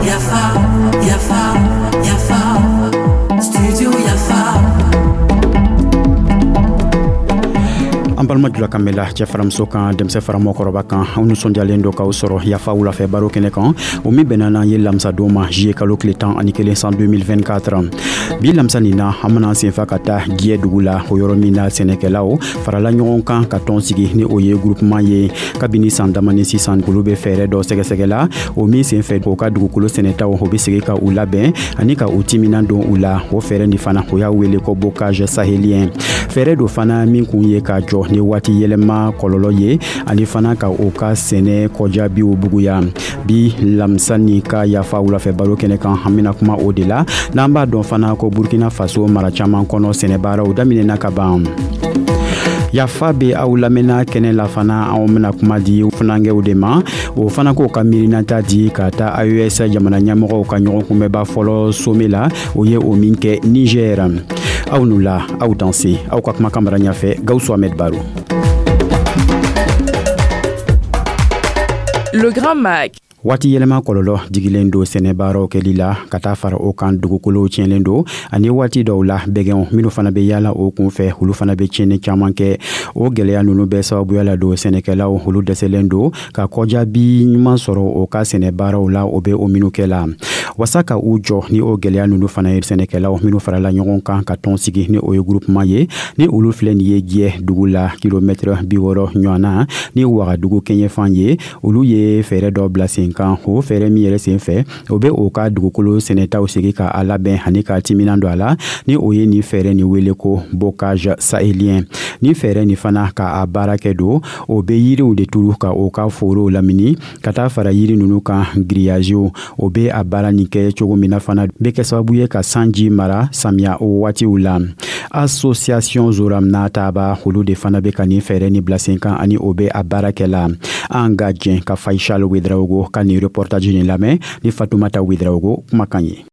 Yafa, Yafa, Yafa, Studio Yafa. An balima jula kan bɛla, cɛ faramuso kan, denmisɛn fara mɔgɔkɔrɔba kan, aw nisɔndiyalen do k'aw sɔrɔ Yafa wulafɛ baro kɛnɛ kan, o min bɛnna n'an ye lamisadon ma, juillet kalo tile 11, san 2024. Bi lamisa nin na, an bena senfa ka taa Giyɛ dugu la, o yɔrɔ min na sɛnɛkɛlaw farala ɲɔgɔn kan ka tɔn sigi, ni o ye groupement ye. Kabini san damani sisan, olu be fɛɛrɛ dɔ sɛgɛsɛgɛ la, o min sen fɛ o ka dugukolo sɛnɛtaw, o be segi ka u labɛn ani ka u timinan don u la. O fɛɛrɛ nin fana, o y'a wele ko bocage sahélien. Fɛɛrɛ do fana min kun ye ka jɔ ni waati yɛlɛma kɔlɔlɔ ye, ani fana ka o ka sɛnɛ kɔjaabiw buguya. Bi lamisa ni ka Yafa wulafɛ baro kɛnɛ kan, an bena kuma o de la. N'an b'a dɔn fana ko Burkina Faso mara caaman kɔnɔ, sɛnɛbaaraw daminɛna ka ban. Yafa be aw lamɛnna kɛnɛ la fana, anw bena kuma di funankɛw de ma. O fana k'o ka miirinata di ka taa AES jamana ɲɛmɔgɔw ka ɲɔgɔn kunbɛba fɔlɔ sommet la, o ye o min kɛ Niger. Aw nu la, aw danse, aw ka kumakan mara ɲafɛ, Gawusu Ahmed Baro. Le Grand Mag. Waati yɛlɛma kɔlɔlɔ digilen don sɛnɛbaaraw kɛli la, ka taa fara o kan, dugukolow tiɲɛlen don, ani waati dɔw la, bɛgɛnw minnu fana bɛ yaala o kun fɛ, olu fana bɛ tiɲɛni caman kɛ. O gwɛlɛya nunu bɛɛ sababuya la don sɛnɛkɛlaw, olu dɛsɛlen don ka kɔjaabi ɲuman sɔrɔ o ka sɛnɛbaaraw la, o bɛ o minnu kɛ la. Wasa ka u jɔ ni o gwɛlɛya nunu fana ye, sɛnɛkɛlaw minnu farala ɲɔgɔn kan ka tɔn sigi, ni o ye groupement ye, ni olu filɛ nin ye Giyɛ dugu la, kilomɛtɛrɛ 60 ɲɔgɔn na ni Wagadugu kɛɲɛfan ye, olu ye fɛɛrɛ dɔ bila sen kan. O fɛɛrɛ min yɛrɛ sen fɛ, o bɛ o ka dugukolo sɛnɛtaw segi ka a labɛn ani ka timinan don a la, ni o ye nin fɛɛrɛ nin wele ko bocage sahélien. Ni fɛɛrɛ nin fana ka a baara kɛ don, o bɛ yiriw de turu ka o ka forow lamini. Ka taa fara yiri nunu kan, giriyaziw, o bɛ a baara nin kɛ cogo min na fana, bɛ kɛ sababu ye ka sanji mara samiya o waatiw la. Association Zoramna Taba, olu de fana bɛ ka nin fɛɛrɛ nin bila sen kan, ani o bɛ a baara kɛ la. An ka jɛn ka Faisal Ouedraogo ka nin reportage nin lamɛn ni Fatoumata Ouedraogo kumakan ye.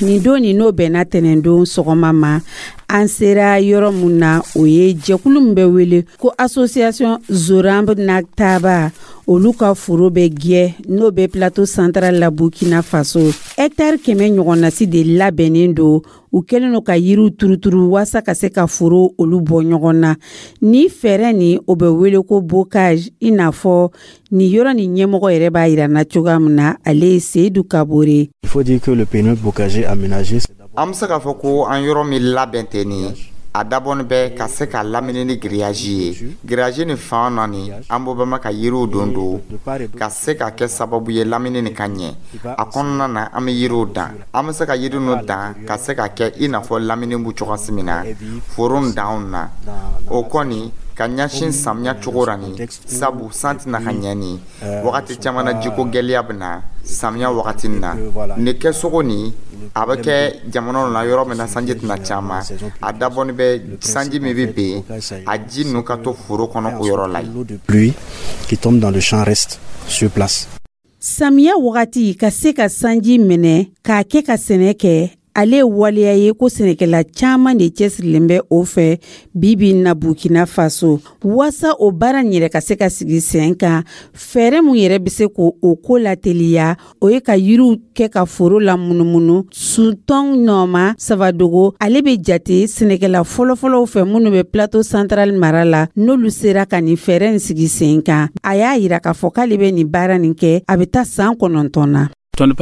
Nin don nin, n'o bɛnna tɛnɛndon sɔgɔma ma, an sera yɔrɔ mun na, o ye jɛkulu min bɛ wele ko Association Zoramb Naktaba, olu ka foro bɛ Giyɛ, n'o bɛ Plateau Central la, Burkina Faso. Hɛtari 100 ɲɔgɔnnasi de labɛnnen don. U kɛlen don ka yiriw turuturu waasa ka se ka foro olu bɔ ɲɔgɔn na. Ni fɛɛrɛ nin, o bɛ wele ko bocage, i n'a fɔ nin yɔrɔ nin ɲɛmɔgɔ yɛrɛ b'a yira na cogoya min na. Ale ye Seyidu Kabore. Il faut dire que le périmètre bocager aménagé An bɛ se k'a fɔ ko an yɔrɔ min labɛn tɛ nin ye, a dabɔnin bɛ ka se ka lamini ni grillage ye. Grillage nin fan naani, an b'o bɛma ka yiriw don don ka se ka kɛ sababu ye lamini nin ka ɲɛ. A kɔnɔna na, an bɛ yiriw dan. An bɛ se ka yiri ninnu dan ka se ka kɛ i n'a fɔ lamini b'u cogoya min na foro danw na. O kɔni ka ɲɛsin samiya cogo ra nin, sabu san tɛna ka ɲɛ nin wagati caman na, jiko gɛlɛya bɛ na samiya wagati na. Nin kɛcogo nin, a bɛ kɛ jamana na yɔrɔ min na sanji tɛna caman, a dabɔnin bɛ sanji min bɛ ben, a ji ninnu ka to foro kɔnɔ o yɔrɔ la. Pluie qui tombe dans le champ reste sur place. Samiya wagati, ka se ka sanji minɛ k'a kɛ ka sɛnɛ kɛ, ale ye waleya ye ko sɛnɛkɛla caman de cɛsirilen bɛ o fɛ bi bi na Burkina Faso. Waasa o baara nin yɛrɛ ka se ka sigi sen kan, fɛɛrɛ mun yɛrɛ bɛ se k'o o ko lateliya, o ye ka yiriw kɛ ka foro la munumunu. Suntɔn Nɔma Savadogo, ale bɛ jate sɛnɛkɛla fɔlɔfɔlɔw fɛ minnu bɛ Plateau Central mara la, n'olu sera ka nin fɛɛrɛ nin sigi sen kan. A y'a yira k'a fɔ k'ale bɛ nin baara nin kɛ, a bɛ taa san 9 na. An kɔni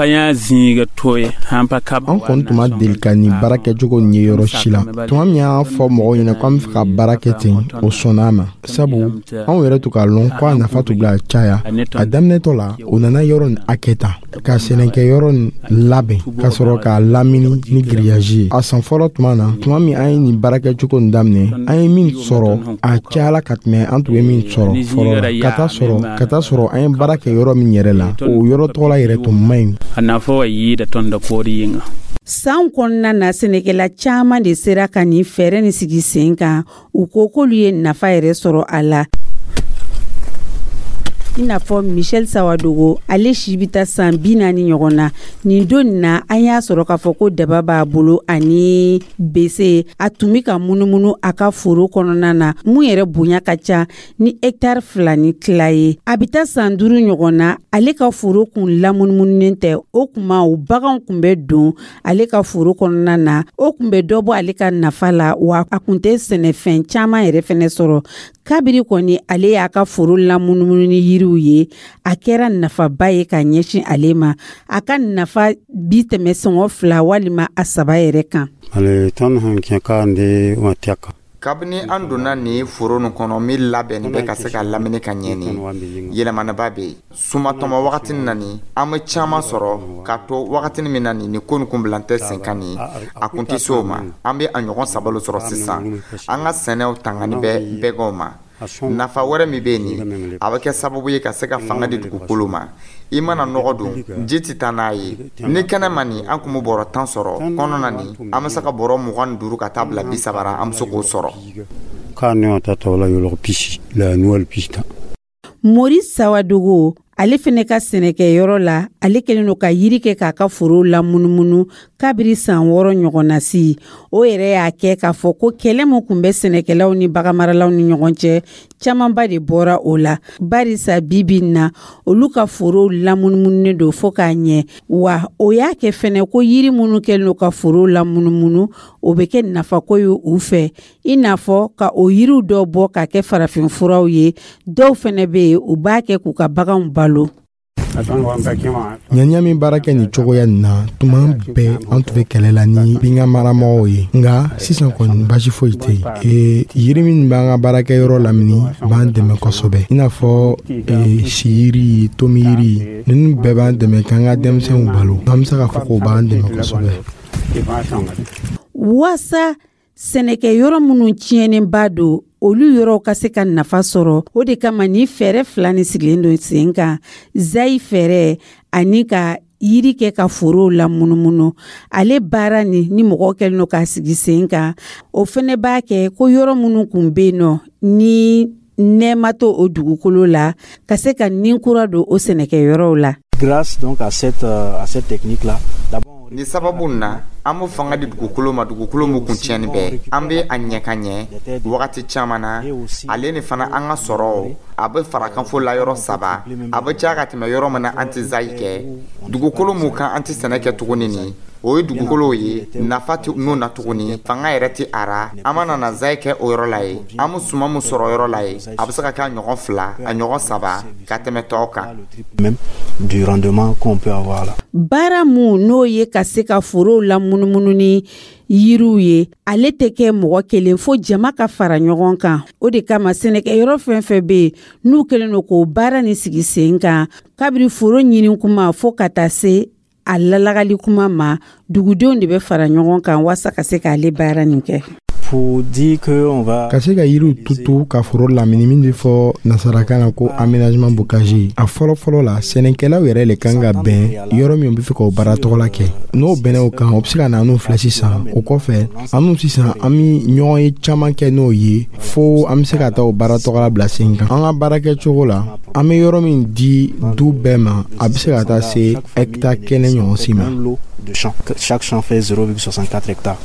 tun ma deli ka nin baara kɛcogo nin ye yɔrɔ si la. Tuma min y'a fɔ mɔgɔw ɲɛna ko an bɛ fɛ ka baara kɛ ten, o sɔnna a ma, sabu anw yɛrɛ tun k'a lɔn ko a nafa tun bila caya. A daminɛtɔ la, o nana yɔrɔ nin hakɛ ta ka sɛnɛkɛ yɔrɔ nin labɛn ka sɔrɔ k'a lamini ni grillage ye. A san fɔlɔ tuma na, tuma min an ye nin baara kɛcogo nin daminɛ, an ye min sɔrɔ, a cayala ka tɛmɛ an tun ye min sɔrɔ fɔlɔ la. Ka taa sɔrɔ an ye baara kɛ yɔrɔ min yɛrɛ la, o yɔrɔ tɔgɔla yɛrɛ tun man ɲi. San kɔnɔna na, sɛnɛkɛla caman de sera ka nin fɛɛrɛ nin sigi sen kan. U ko k'olu ye nafa yɛrɛ sɔrɔ a la. I n'a fɔ Michel Sawadogo, ale si bɛ taa san 40 ɲɔgɔn na. Nin don nin na, an y'a sɔrɔ k'a fɔ ko daba b'a bolo ani bese. A tun bɛ ka munumunu a ka foro kɔnɔna na, mun yɛrɛ bonya ka ca ni hɛkitari 2 ni tila ye. A bɛ taa san 5 ɲɔgɔn na, ale ka foro kun lamunumununen tɛ. O kuma, o baganw kun bɛ don ale ka foro kɔnɔna na. O kun bɛ dɔ bɔ ale ka nafa la, wa a kun tɛ sɛnɛfɛn caman yɛrɛ fɛnɛ sɔrɔ. Kabiri kɔni ale y'a ka foro lamunumunu ni yiriw ye, a kɛra nafaba ye ka ɲɛsin ale ma. A ka nafa bi tɛmɛ sɔngɔ 2 walima a 3 yɛrɛ kan. Kabini an donna nin foro nin kɔnɔ min labɛnni bɛ ka se ka lamini ka ɲɛ, nin yɛlɛmanaba bɛ yen. Sumatɔmɔ wagati na nin, an bɛ caman sɔrɔ ka to wagati min na nin, ko nin kun bilan tɛ sen kan nin, a kun tɛ se o ma. An bɛ a ɲɔgɔn 3 sɔrɔ sisan. An ka sɛnɛw tangani bɛ bɛgɛnw ma. Nafa wɛrɛ min bɛ yen nin, a bɛ kɛ sababu ye ka se ka fanga di dugukolo ma. I mana nɔgɔ don, ji tɛ taa n'a ye. Ni kɛnɛ ma nin, an kun bɛ bɔrɔ 10 sɔrɔ. Kɔnɔ na nin, an bɛ se ka bɔrɔ 25 ka taa bila 30 ra, an bɛ se k'o sɔrɔ. Mori Sawadogo, ale fɛnɛ ka sɛnɛkɛyɔrɔ la, ale kɛlen don ka yiri kɛ k'a ka foro lamunumunu kabiri san 6 ɲɔgɔn na si. O yɛrɛ y'a kɛ k'a fɔ ko kɛlɛ min kun bɛ sɛnɛkɛlaw ni baganmaralaw ni ɲɔgɔn cɛ, camanba de bɔra o la, barisa bi bi in na, olu ka forow lamunumununen don fo k'a ɲɛ. Wa o y'a kɛ fɛnɛ ko yiri minnu kɛlen don ka forow lamunumunu, o bɛ kɛ nafako ye u fɛ, i n'a fɔ ka o yiriw dɔw bɔ ka kɛ farafinfuraw ye. Dɔw fɛnɛ bɛ yen, u b'a kɛ k'u ka baganw balo. Ɲaniya min baara kɛ nin cogoya nin na, tuma bɛɛ an tun bɛ kɛlɛ la ni binkan maramɔgɔw ye, nka sisan kɔni baasi foyi tɛ yen. Yiri min b'an ka baarakɛyɔrɔ lamini b'an dɛmɛ kosɛbɛ, i n'a fɔ siyiri, tomiyiri, ninnu bɛɛ b'an dɛmɛ k'an ka denmisɛnw balo. An bɛ se k'a fɔ k'o b'an dɛmɛ kosɛbɛ. Waasa sɛnɛkɛyɔrɔ minnu tiɲɛnenba don, olu yɔrɔw ka se ka nafa sɔrɔ, o de kama ni fɛɛrɛ 2 ni sigilen don sen kan: zayi fɛɛrɛ ani ka yiri kɛ ka forow lamunumunu. Ale baara ni mɔgɔw kɛlen don k'a sigi sen kan, o fɛnɛ b'a kɛ ko yɔrɔ minnu kun bɛ yen nɔ ni nɛɛma to o dugukolo la, ka se ka nin kura don o sɛnɛkɛyɔrɔw la. Grâce donc à cette technique là, d'abord Ni sababu na, an bɛ fanga di dugukolo ma, dugukolo min kun tiɲɛni bɛɛ. An bɛ a ɲɛ ka ɲɛ wagati caman na. Ale ni fana, an ka sɔrɔ a bɛ farakanfo la yɔrɔ 3, a bɛ caya ka tɛmɛ yɔrɔ min na an tɛ zayi kɛ. Dugukolo mun kan an tɛ sɛnɛ kɛ tuguni nin, o ye dugukolow ye nafa tɛ mun na tuguni, fanga yɛrɛ tɛ a ra. An mana na zayi kɛ o yɔrɔ la ye, an bɛ suman min sɔrɔ yɔrɔ la ye, a bɛ se ka kɛ a ɲɔgɔn 2, a ɲɔgɔn 3 ka tɛmɛ tɔw kan. Même du rendement qu'on peut avoir là. Baara mun n'o ye ka se ka forow lamunumunu ni yiriw ye, ale tɛ kɛ mɔgɔ kelen, fo jama ka fara ɲɔgɔn kan. O de kama sɛnɛkɛyɔrɔ fɛn fɛn bɛ yen n'u kɛlen don k'o baara nin sigi sen kan, kabiri foro ɲini kuma fo ka taa se a lalagali kuma ma, dugudenw de bɛ fara ɲɔgɔn kan waasa ka se k'ale baara nin kɛ. Pour dire que on va Ka se ka yiriw tutu ka foro lamini, min bɛ fɔ nasarakan na ko aménagement bocager, a fɔlɔ fɔlɔ la, sɛnɛkɛlaw yɛrɛ le kan ka bɛn yɔrɔ min bɛ fɛ k'o baara tɔgɔla kɛ. N'o bɛnna o kan, o bɛ se ka na n'o filɛ sisan. O kɔfɛ, an n'u sisan, an bɛ ɲɔgɔn ye caman kɛ n'o ye, fo an bɛ se ka taa o baara tɔgɔla bila sen kan. An ka baara kɛcogo la, an bɛ yɔrɔ min di du bɛɛ ma, a bɛ se ka taa se hɛkitari 1 ɲɔgɔn si ma. Un lot de champs. Chaque champ fait 0,64 hectares.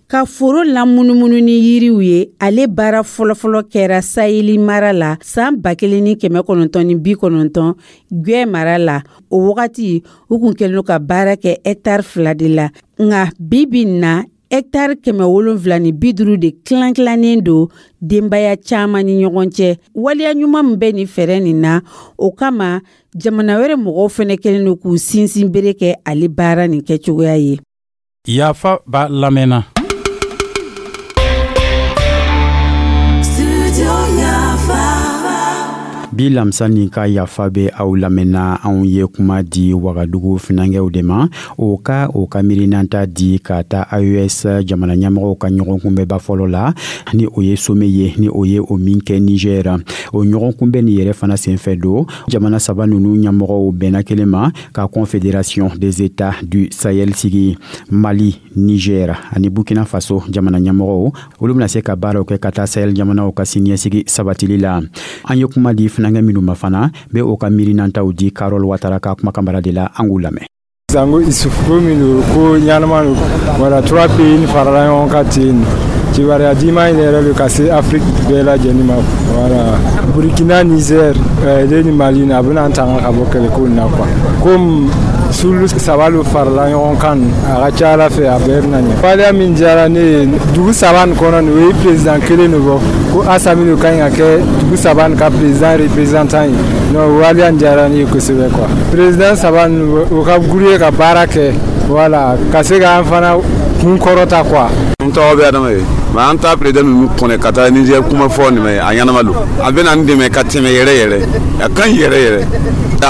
Ka foro lamunumunu ni yiriw ye, ale baara fɔlɔfɔlɔ kɛra Saheli mara la san 1990, Gwɛ mara la. O wagati, u kun kɛlen don ka baara kɛ hɛkitari 2 de la, nka bi bi in na, hɛkitari 750 de tilan tilannen don denbaya caman ni ɲɔgɔn cɛ. Waleya ɲuman min bɛ nin fɛɛrɛ nin na, o kama jamana wɛrɛ mɔgɔw fɛnɛ kɛlen don k'u sinsin bere kɛ ale baara nin kɛcogoya ye. Yafa b'a lamɛnna. Studio Yafa. Bi lamisa nin ka Yafa bɛ aw lamɛnna, anw ye kuma di Wagadugu finankɛw de ma, o ka miirinanta di ka taa AES jamana ɲɛmɔgɔw ka ɲɔgɔn kunbɛnba fɔlɔ la, ni o ye sommet ye, ni o ye o min kɛ Niger. O ɲɔgɔn kunbɛn nin yɛrɛ fana senfɛ don, jamana saba ninnu ɲɛmɔgɔw bɛnna kelen ma ka Confédération des États du Sahel sigi. Mali, Niger ani Burkina Faso jamana ɲɛmɔgɔw, olu bɛna se ka baaraw kɛ ka taa Sahel jamanaw ka siniɲɛsigi sabatili la. An ye kuma di finankɛw ma. funankɛ minnu ma fana bɛ o ka miirinantaw di Karol Watara ka kumakan bara de la. An k'u lamɛn. Sango Isufu, ko min don, ko ɲanama don. Wala trois pays ni farala ɲɔgɔn kan ten, kibaruya diman in yɛrɛ don ka se Afiriki bɛɛ lajɛlen ma. Wala Burkina, Niger ne ni Mali, a bɛna an tanga ka bɔ kɛlɛko in na quoi. Komi sulu saba lo farala ɲɔgɔn kan, a ka ca ala fɛ, a bɛɛ bɛna ɲɛ. Waleya min diyara ne ye dugu saba nin kɔnɔ nin, o ye président kelen de bɔ ko Asami de ka ɲi ka kɛ dugu saba nin ka président représentant ye. Non, waleya nin diyara ne ye kosɛbɛ quoi. Président saba nin, o ka groupe ka baara kɛ, wala ka se k'an fana kun kɔrɔta quoi. N tɔgɔ bɛ Adama ye. Mais an ta président ninnu kɔnɛ ka taa Niger kuma fɔ nin mɛ, a ɲɛnama don, a bɛ na n dɛmɛ ka tɛmɛ yɛrɛ yɛrɛ, a ka ɲi yɛrɛ yɛrɛ.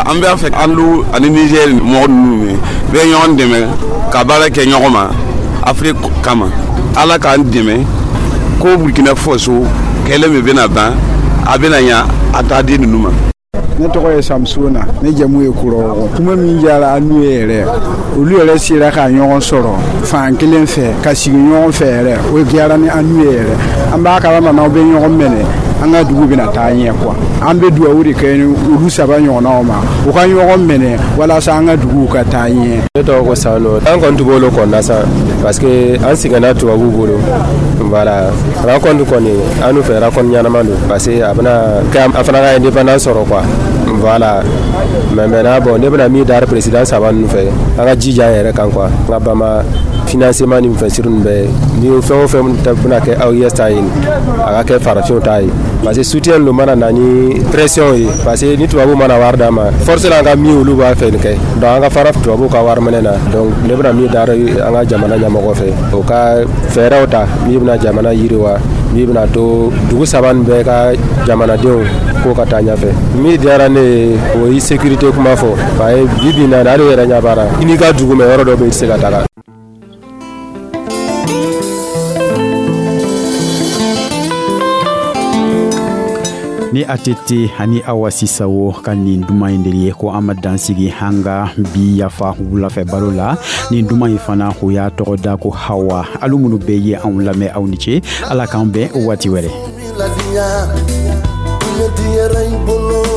An b'a fɛ an lu ani Niger mɔgɔ ninnu bɛ ɲɔgɔn dɛmɛ ka baara kɛ ɲɔgɔn ma Afiriki kama. Ala k'an dɛmɛ ko Burkina Faso kɛlɛ min bɛna ban, a bɛna ɲa a t'a di ninnu ma. Ne tɔgɔ ye Samusona, ne jamu ye Kurɔgɔ. Kuma min diyara an n'u ye yɛrɛ, olu yɛrɛ sera ka ɲɔgɔn sɔrɔ fan kelen fɛ ka sigi ɲɔgɔn fɛ yɛrɛ, o diyara ni an n'u ye yɛrɛ. An b'a kalama n'aw bɛ ɲɔgɔn minɛ, an ka dugu bɛna taa ɲɛ quoi. An bɛ dugawu de kɛ olu saba ɲɔgɔnnaw ma, u ka ɲɔgɔn minɛ walasa an ka duguw ka taa ɲɛ. Ne tɔgɔ ko Sano. An kɔni tun b'olu kɔnɔna sa, parce que an sɛgɛnna tubabuw bolo. Voilà, rencontre kɔni, an n'u fɛ, rencontre ɲɛnama don, parce que a bɛna kɛ an fana ka indépendance sɔrɔ quoi. Voilà. Mais maintenant, bon, ne bɛna min da président saba ninnu fɛ, an ka jija an yɛrɛ kan quoi. An ka bama financement ni fɛn siri ninnu bɛɛ ni fɛn o fɛn bɛna kɛ AES ta ye, a ka kɛ farafinw ta ye, parce que soutien lo mana na ni pression ye, parce que ni tubabuw mana wari d'an ma, force la, an ka min olu b'a fɛ nin kɛ. Donc an ka fara tubabuw ka wari minɛ na. Donc ne bɛna min da an ka jamana ɲɛmɔgɔ fɛ, o ka fɛɛrɛw ta min bɛna jamana yiriwa, min bɛna to dugu saba nin bɛɛ ka jamanadenw ko ka taa ɲɛfɛ. Min diyara ne ye, o ye sécurité kuma fɔ, parce que bi bi in na, hali yɛrɛ ɲɛ b'a la, i n'i ka dugu mɛ, yɔrɔ dɔ bɛ yen, i tɛ se ka taga. Ni ATT ani Awa Sisawo ka nin duman in de ye ko an ma dan sigi an ka bi Yafa wulafɛ baro la. Nin duman in fana, o y'a tɔgɔ da ko Hawa. Alu minnu bɛɛ ye anw lamɛn, aw ni ce. Ala k'an bɛn waati wɛrɛ. Diyara i bolo.